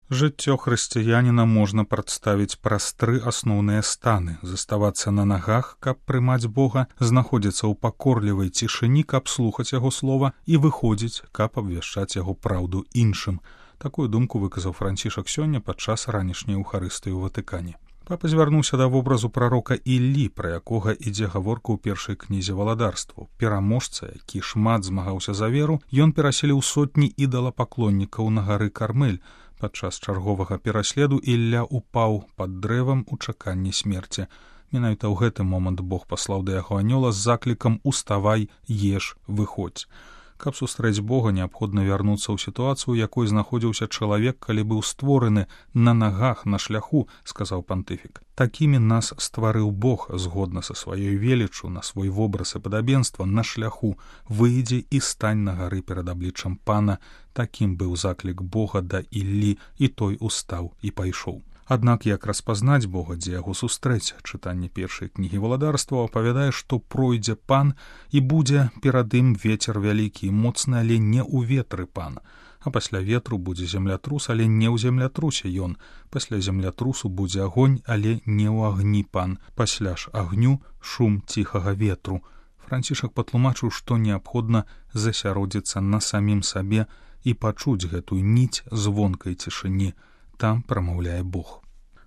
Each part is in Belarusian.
Жыццё хрысціяніна можна прадставіць праз 3 асноўныя станы: заставацца на нагах, каб прымаць Бога, знаходзіцца ў пакорлівай цішыні, каб слухаць яго слова, і выходзіць, каб абвяшчаць яго праўду іншым. Такую думку выказаў Францішак сёння падчас ранішняй эўхарыстыі ў Ватыкане. Папа звярнуўся да вобразу прарока Іллі, пра якога ідзе гаворка ў першай кнізе валадарстваў. Пераможца, які шмат змагаўся за веру, ён пераселіў сотні ідалапаклоннікаў на гары Кармель. Падчас чарговага пераследу Ілля упаў пад дрэвам у чаканні смерці. Менавіта ў гэты момант Бог паслаў да яго анёла з заклікам «Уставай, еш, выходзь». Каб сустрэць Бога, неабходна вярнуцца ў сітуацыю, у якой знаходзіўся чалавек, калі быў створаны на нагах, на шляху, сказаў пантыфік. Такімі нас стварыў Бог, згодна са сваёй веліччу, на свой вобраз і падабенства, на шляху. Выйдзі і стань на гары перад абліччам Пана. Такім быў заклік Бога да Іллі, і той устаў і пайшоў. Аднак як распазнаць Бога, дзе яго сустрэць? Чытанне першай кнігі валадарства апавядае, што пройдзе Пан і будзе перад ім вецер вялікі і моцны, але не ў ветры Пана. А пасля ветру будзе землятрус, але не ў землятрусе ён. Пасля землятрусу будзе агонь, але не ў агні Пан. Пасля ж агню шум ціхага ветру. Францішак патлумачыў, што неабходна засяродзіцца на самім сабе і пачуць гэтую ніць звонкай цішыні. Там прамаўляе Бог.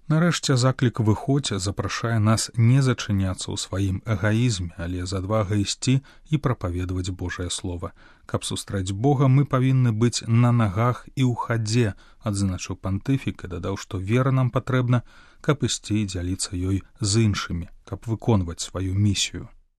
Нарэшце заклік «Выходзь» запрашае нас не зачыняцца ў сваім эгаізме, але з адвагай ісці і прапаведаваць Божае Слова. Каб сустрэць Бога, мы павінны быць на нагах і ў хадзе, адзначыў пантыфік і дадаў, што вера нам патрэбна, каб ісці і дзяліцца ёй з іншымі, каб выконваць сваю місію.